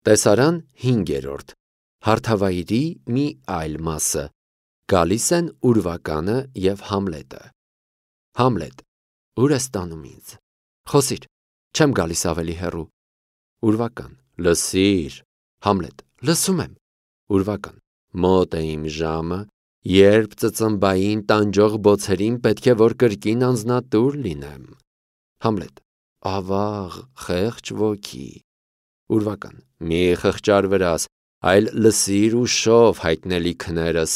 Տեսարան 5-րդ Հարթավայրի մի այլ մասը։ Գալիս են ուրվականը և Համլետը։ Համլետ. Ուր ես տանում ինձ։ Խոսիր, չեմ գալիս ավելի հեռու։ Ուրվական. Լսիր։ Համլետ. Լսում եմ։ Ուրվական. Մոտ է իմ ժամը, երբ ծծմբային տանջող բոցերին պետք է որ կրկին անձնատուր լինեմ։ Համլետ. Ավաղ, խեղճ ոգի։ Ուրվական. Մի խղճար վրաս, այլ լսիր ու շով հայտնելիքներս։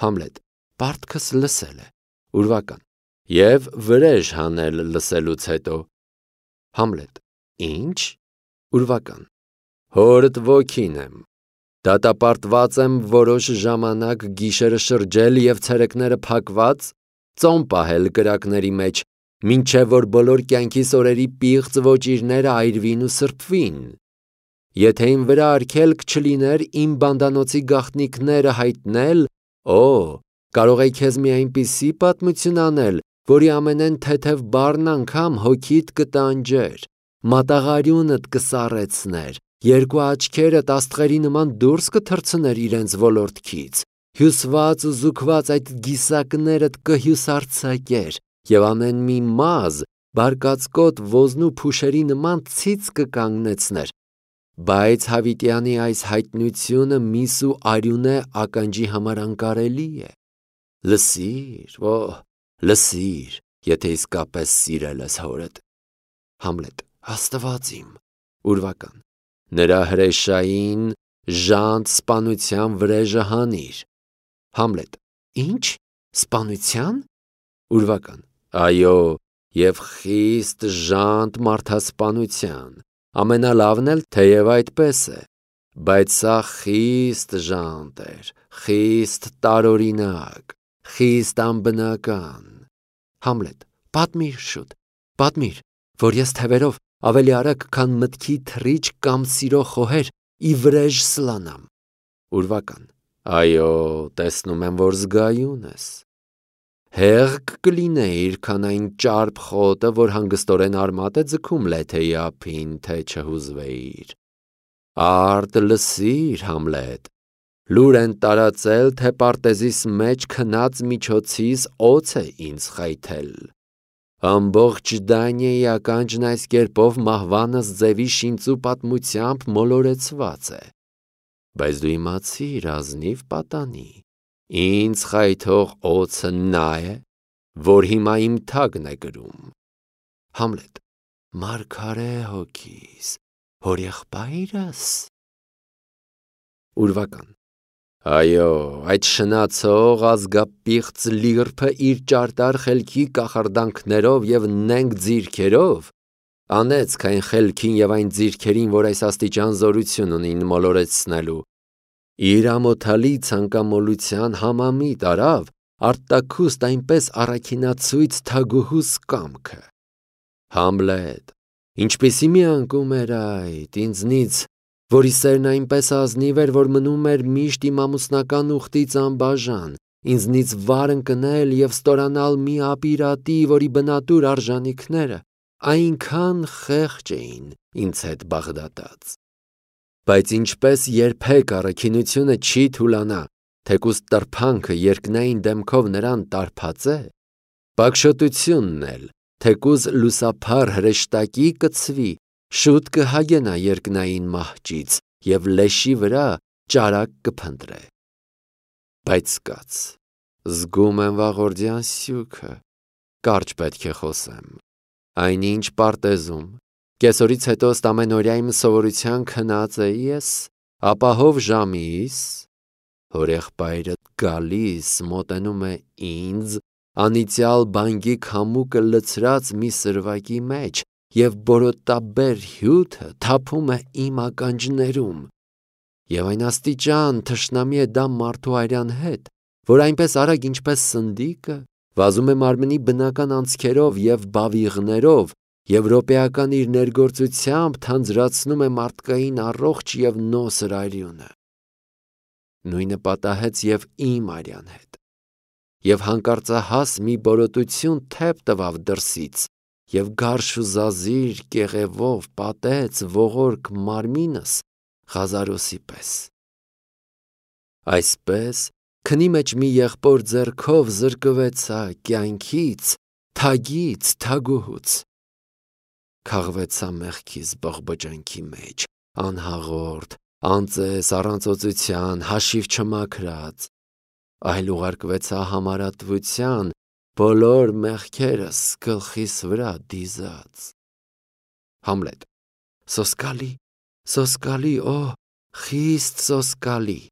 Համլետ. Պարտքս լսել է։ Ուրվական. Եվ վրեժ հանել լսելուց հետո։ Համլետ. Ինչ։ Ուրվական. Հորդ ոգին եմ։ Դատապարտված եմ որոշ ժամանակ գիշերը շրջել և ցերեկները փակված, ծոմ պահել կրակների մեջ, մինչև որ բոլոր կյանքիս օրերի պիղծ ոճիրները այրվին ու սրբվին։ Եթե իմ վրա արգելք չլիներ իմ բանդանոցի գաղտնիքները հայտնել, կարող էի քեզ մի այնպիսի պատմություն անել, որի ամենայն թեթև բառն անգամ հոգիդ կտանջեր, մատաղարյունդ կսառեցներ, երկու աչքերդ աստղերի նման դուրս կթռցներ իրենց ոլորտքից, հյուսված ու զուգված այդ գիսակներդ կհյուսարձակեր, և ամեն մի մազ բարկացկոտ ոզնու փուշերի նման ցից կկանգնեցներ, բայց Հավիտյանի այս հայտնությունը միս ու արյունե ականջի համար անկարելի է։ Լսիր, լսիր, եթե իսկապես սիրել ես հորդ։ Համլետ. Աստված իմ։ Ուրվական. Նրա հրեշային ժանտ սպանության վրեժը հանիր։ Համլետ. Ինչ, սպանության։ Ուրվական. Այո, և խիստ ժանտ մարդասպանության, ամենալավն էլ թեև այդպես է, բայց սա խիստ ժանտ էր, խիստ տարօրինակ, խիստ անբնական։ Համլետ. Պատմիր շուտ, պատմիր, որ ես թևերով ավելի արագ, քան մտքի թռիչ կամ սիրո խոհեր, ի վրեժ սլանամ։ Ուրվական. Այո, տեսնում եմ, որ զգայուն ես։ Հեղք կլինեիր, քան այն ճարպ խոտը, որ հանգստորեն արմատ է ձգում լեթեի ափին, թե չհուզվեիր։ Արդ լսիր, Համլետ, լուր են տարածել, թե պարտեզիս մեջ քնած միջոցիս օձ է ինձ խայթել։ Ամբողջ Դանիայի ականջն այս կերպով մահվանս ձևի շինծու պատմությամբ մոլորեցված է։ Բայց դու իմացիր, ազնիվ պատանի, ինձ խայթող օձը նա է, որ հիմա իմ թագն է գրում։ Համլետ. Մարգարե հոգիս, հորեղբայրս։ Ուրվական. Այո, այդ շնացող ազգապիղծ լիրբը իր ճարտար խելքի կախարդանքներով և նենգ ձիրքերով անեծք այն խելքին և այն ձիրքերին, որ այս աստիճան զորություն ունին մոլորեցնելու, իր ամոթալի ցանկամոլության համամիտ արավ արտաքուստ այնպես առաքինացույց թագուհուս կամքը։ Համլետ, ինչպիսի մի անկում էր այդ, ինձնից, որի սերն այնպես ազնիվ էր, որ մնում էր միշտ իմ ամուսնական ուխտից անբաժան, ինձնից վար ընկնել և ստորանալ մի ապիրատի, որի բնատուր արժանիքները այնքան խեղճ էին ինձ հետ բաղդատած։ Բայց ինչպես երբեք առաքինությունը չի թուլանա, թեկուզ տրփանքը երկնային դեմքով նրան տարբածե, պակշոտությունն էլ, թեկուզ լուսափառ հրեշտակի կցվի, շուտ կհագենա երկնային մահճից և լեշի վրա ճարակ կփնտրե։ Բայց կաց, զգում եմ վաղորդյան սյուքը, կարճ պետք է խոսեմ, այնինչ պարտեզում, կեսօրից հետո ըստ ամենօրյա իմ սովորության քնած էի ես, ապահով ժամիս, հորեղբայրդ գալիս մոտենում է ինձ, անիծյալ բանկի քամուկը լցրած մի սրվակի մեջ, և բորոտաբեր հյութը թափում է իմ ականջներում, և այն աստիճան թշնամի է դա մարդու արյան հետ, որ այնպես արագ ինչպես սնդիկը, վազում է մարմնի բնական անցքերով և բավիղներով և րոպեական իր ներգործությամբ թանձրացնում է մարդկային առողջ և նոսր արյունը։ Նույնը պատահեց և իմ արյան հետ, և հանկարծահաս մի բորոտություն թեփ տվավ դրսից, և գարշ ու զազիր կեղևով պատեց ողորկ մարմինս Ղազարոսի պես։ Այսպես քնի մեջ մի եղբոր ձեռքով զրկվեցա կյանքից, թագից, թագուհուց։ Քաղվեցա մեղքիս բողբոջանքի մեջ, անհաղորդ, անծես, առանց օծության, հաշիվ չմաքրած, այլ ուղարկվեցա համարատվության, բոլոր մեղքերս գլխիս վրա դիզած։ Համլետ. Սոսկալի, սոսկալի, օ, խիստ սոսկալի։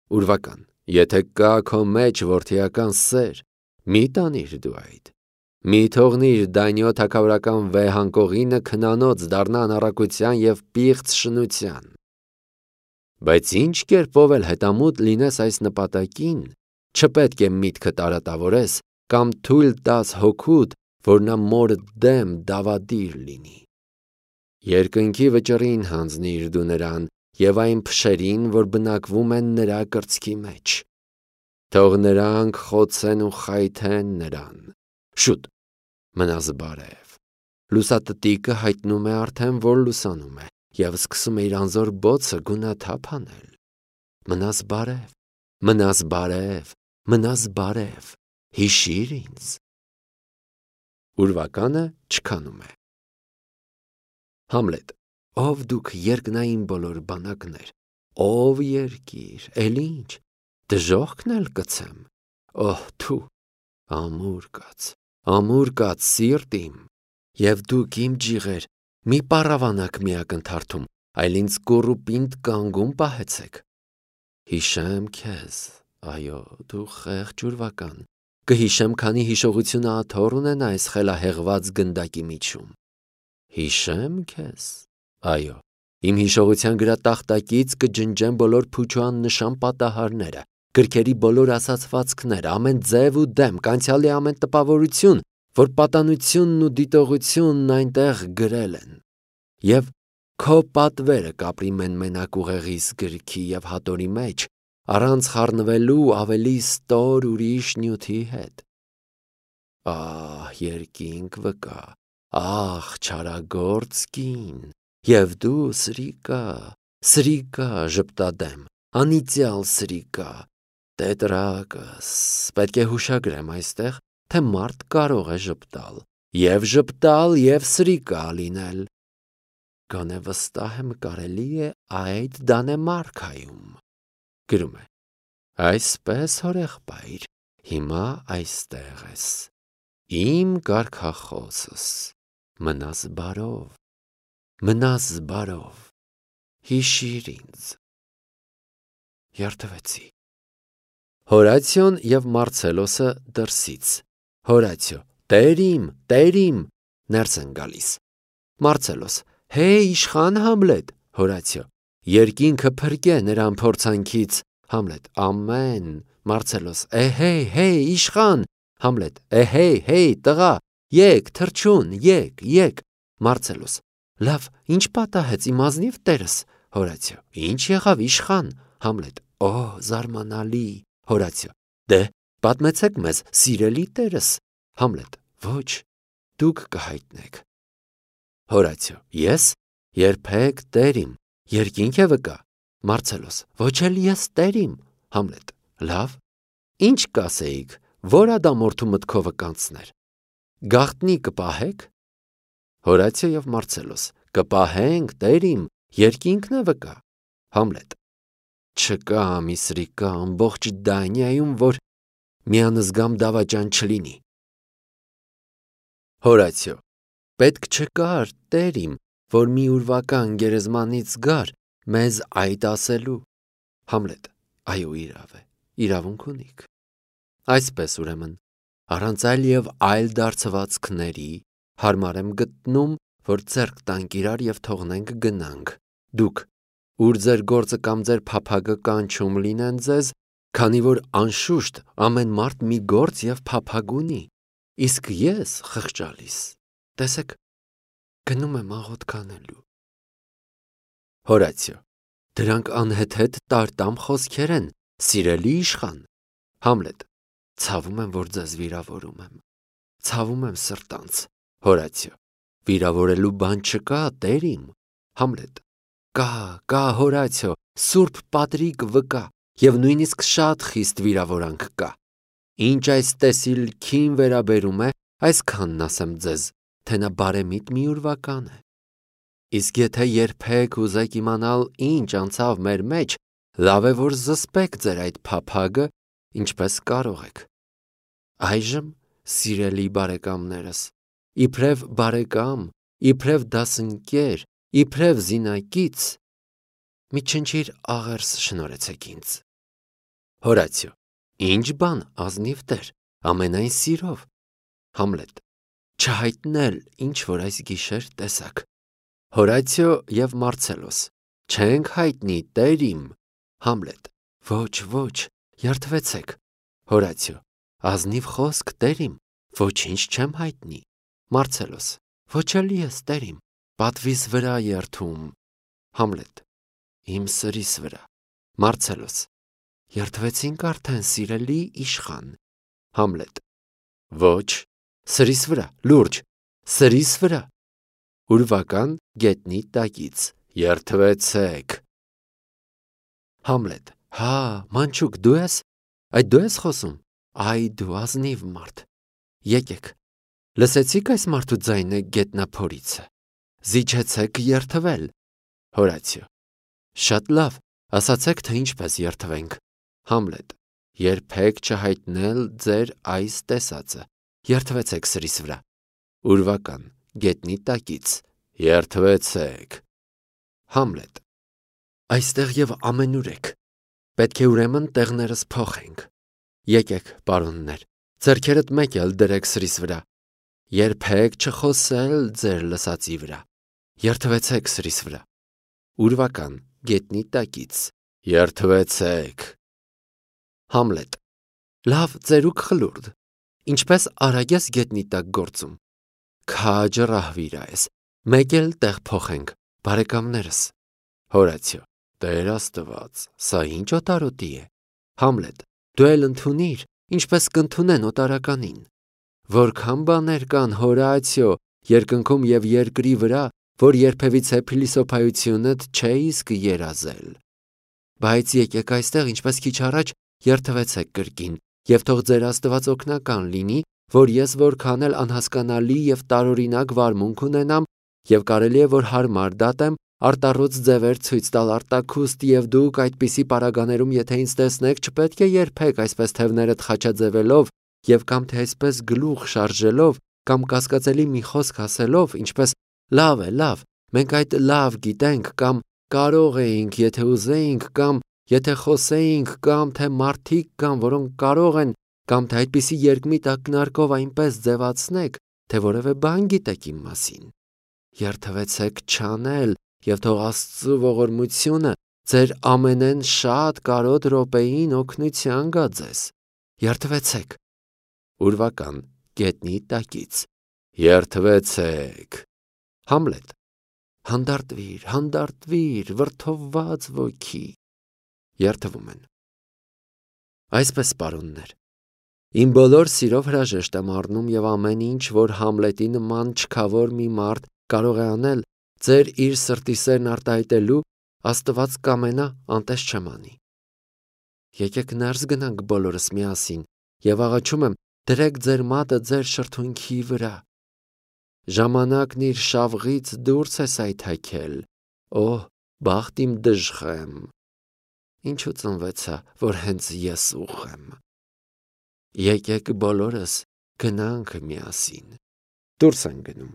Ուրվական. Եթե կա քո մեջ որդիական սեր, մի տանիր դու այդ։ Մի թողնիր Դանիո թագավորական վեհանկողինը քնանոց դառնա անառակության և պիղծ շնության։ Բայց ինչ կերպով էլ հետամուտ լինես այս նպատակին, չպետք է միտքդ արատավորես կամ թույլ տաս հոգուդ, որ նա մորդ դեմ դավադիր լինի։ Երկնքի վճռին հանձնիր դու նրան և այն փշերին, որ բնակվում են նրա կրծքի մեջ։ Թող նրանք խոցեն ու խայթեն նրան։ Շուտ, մնաս բարև։ Լուսատտիկը հայտնում է արդեն, որ լուսանում է, և սկսում է իր անզոր բոցը գունաթափ անել։ Մնաս բարև, մնաս բարև, մնաս բարև, հիշիր ինձ։ Ուրվականը չքանում է։ Համլետ. Ով դուք երկնային բոլոր բանակներ, ով երկիր, էլ ինչ, դժոխքն էլ կցեմ, օհ թու, ամուր կաց սիրտ իմ, և դուք իմ ջիղեր, մի պառավանակ միակ ընթարթում, այլ ինձ կուռ ու պինդ կանգուն պահեցեք։ Հիշեմ քեզ, այո, դու խեղճ ուրվական, կհիշեմ, քանի հիշողությունը աթոռ ունենա այս խելահեղված գնդակի միջում։ Հիշեմ քեզ, այո, իմ հիշողության գրատախտակից կջնջեմ բոլոր փուչ ու աննշան պատահարները, գրքերի բոլոր ասացվածքները, ամեն ձև ու դեմք, անցյալի ամեն տպավորություն, որ պատանությունն ու դիտողությունն այնտեղ գրել են, և քո պատվերը կապրի մենմենակ ուղեղիս գրքի և հատորի մեջ, առանց խառնվելու ավելի ստոր ուրիշ նյութի հետ։ Ահ, երկինք վկա, ահ, չարագործ կին, և դու սրիկա, սրիկա ժպտադեմ, անիծյալ սրիկա, տետրակս, պետք է հուշագրեմ այստեղ, թե մարդ կարող է ժպտալ, և սրիկա լինել։ Գոնե վստահ եմ կարելի է այդ Դանեմարքայում։ Գրում է. Այսպես հորեղբայր, հիմա այստեղ ես, իմ կարգախոսս, մնաս բարով, հիշիր ինձ։ Երդվեցի։ Հորացիոն և Մարցելոսը դրսից։ Հորացիո. Տեր իմ, ներս են գալիս։ Մարցելոս. Հե իշխան Համլետ։ Հորացիո. Երկինքը փրկե նրան փորձանքից։ Համլետ. Ամեն։ Մարցելոս. Հեյ, իշխան։ Համլետ. Հեյ, տղա, եկ, թռչուն, եկ։ Մարցելոս. Լավ, ինչ պատահեց իմ ազնիվ տերս։ Հորացիո. Ինչ եղավ իշխան։ Համլետ. Օ, զարմանալի։ Հորացիո. Դե, պատմեցեք մեզ, սիրելի տերս։ Համլետ. Ոչ, դուք կհայտնեք։ Հորացիո. Ես երբեք տեր իմ, երկինք է վկա։ Մարցելոս. Ոչ էլ ես տեր իմ։ Համլետ. Լավ, ինչ կասեիք, որ ադամորդու մտքովը կանցներ։ Գաղտնի կպահեք։ Հորացիո և Մարցելոս. Կպահենք, տեր իմ, երկինքն է վկա։ Համլետ. Չկա մի սրիկա ամբողջ Դանիայում, որ մի անզգամ դավաճան չլինի։ Հորացիո. Պետք չկար, տեր իմ, որ մի ուրվական գերեզմանից գար մեզ այդ ասելու։ Համլետ. Այո, իրավ է, իրավունք ունիք։ Այսպես ուրեմն, առանց այլ և այլ դարձվածքների, հարմար եմ գտնում, որ ձեռք տանք իրար և թողնենք գնանք, դուք, ուր ձեր գործը կամ ձեր փափագը կանչում լինեն ձեզ, քանի որ անշուշտ ամեն մարդ մի գործ և փափագ ունի, իսկ ես խղճալիս, տեսեք, գնում եմ աղոթք անելու։ Հորացիո. Դրանք անհեթեթ տարտամ խոսքեր են, սիրելի իշխան։ Համլետ. Ցավում եմ, որ ձեզ վիրավորում եմ։ Ցավում եմ սրտանց։ Հորացիո. Վիրավորելու բան չկա, տեր իմ։ Համլետ. Կա, Հորացիո, Սուրբ Պատրիկ վկա, եւ նույնիսկ շատ խիստ վիրավորանք կա։ Ինչ այս տեսիլքին վերաբերում է, այսքանն ասեմ ձեզ, թե նա բարեմիտ մի ուրվական է։ Իսկ եթե երբեք ուզեք իմանալ ինչ անցավ մեր մեջ, լավ է որ զսպեք ձեր այդ փափագը, ինչպես կարող եք։ Այժմ, սիրելի բարեկամներս, իբրև բարեկամ, իբրև դասընկեր, իբրև զինակից, մի չնչիր աղերս շնորհեցեք ինձ։ Հորացիո, ինչ բան, ազնիվ Տեր, ամենայն սիրով։ Համլետ, չհայտնել, ինչ որ այս գիշեր տեսակ։ Հորացիո եւ Մարցելոս, չենք հայտնի, Տեր իմ։ Համլետ, ոչ, երդվեցեք։ Հորացիո, ազնիվ խոսք, Տեր իմ, ոչինչ չեմ հայտնի։ Մարցելոս, ոչ էլի ես, Տեր իմ, պատվիս վրա երդում։ Համլետ, իմ սրիս վրա։ Մարցելոս, երդվեցինք արդեն, սիրելի իշխան։ Համլետ, ոչ, սրիս վրա, լուրջ, սրիս վրա։ Ուրվական գետնի տակից, երդվեցեք։ Համլետ, հա, մանչուկ, դու ես, այդ դու ես խոսում, այ դու ազնիվ մարդ։ Եկեք, լսեցիք այս մարդու ձայնը գետնափորիցը, զիջեցեք երդվել։ Հորացիո, շատ լավ, ասացեք, թե ինչպես երդվենք։ Համլետ, երբեք չհայտնել ձեր այս տեսածը, երդվեցեք սրիս վրա։ Ուրվական գետնի տակից, երդվեցեք։ Համլետ, այստեղ եւ ամենուր եք, պետք է ուրեմն տեղներս փոխենք։ Եկեք, պարոններ, ձեռքերդ մեկ էլ դրեք սրիս վրա, երբեք չխոսել ձեր լսածի վրա, երդվեցեք սրիս վրա։ Ուրվական գետնի տակից, երդվեցեք։ Համլետ, լավ, ծերուկ խլուրդ, ինչպես արագ ես գետնի տակ գործում։ Քաջը ռահվիրա ես, մեկ էլ տեղ փոխենք, բարեկամներս։ Հորացիո, Տեր Աստված, սա ինչ օտարոտի է։ Համլետ, դու էլ ընդունիր, ինչպես կընդունեն օտարականին։ Որքան բաներ կան, Հորացիո, երկնքում եւ երկրի վրա, որ երբևիցե փիլիսոփայությունդ չէ իսկ երազել։ Բայց եկեք այստեղ, ինչպես քիչ առաջ, երդվեցեք կրկին, եւ թող ձեր Աստված օգնական լինի, որ ես որքան էլ անհասկանալի եւ տարօրինակ վարմունք ունենամ, եւ կարելի է որ հարմար դատեմ, արտառոց ձևեր ցույց տալ արտաքուստ, եւ դուք այդպիսի պարագաներում, եթե ինձ տեսնեք, չպետք է երբեք այսպես թևներդ խաչաձևելով եւ կամ թե այսպես գլուխ շարժելով կամ կասկածելի մի խոսք ասելով, ինչպես լավ է, լավ, մենք այդ լավ գիտենք կամ կարող էինք, եթե ուզեինք կամ եթե խոսեինք կամ թե մարդիկ կան, որոնք կարող են կամ թե այդպիսի երկմիտ ակնարկով այնպես ձևացնեք, թե որևէ բան գիտեք իմ մասին։ Երդվեցեք չանել եւ թող Աստծո ողորմությունը ձեր ամենեն շատ կարոտ րոպեին օգնության գա ձեզ։ Երդվեցեք։ Ուրվական գետնի տակից, երդվեցեք։ Համլետ, հանդարտվիր, վրդովված ոգի։ Երդվում են։ Այսպես, պարոններ, իմ բոլոր սիրով հրաժեշտ եմ առնում եւ ամեն ինչ, որ Համլետի նման չքավոր մի մարդ կարող է անել, ձեր իր սրտի սերն արտահայտելու, Աստված կամենա անտես չեմ անի։ Եկեք ներս գնանք բոլորս միասին եւ աղաչում եմ, դրեք ձեր մատը ձեր շրթունքի վրա։ Ժամանակն իր շավղից դուրս է սայթաքել, օհ, բախտ իմ դժխեմ։ Ինչու ծնվեցա, որ հենց ես ուխեմ։ Եկեք բոլորս գնանք միասին։ Դուրս են գնում։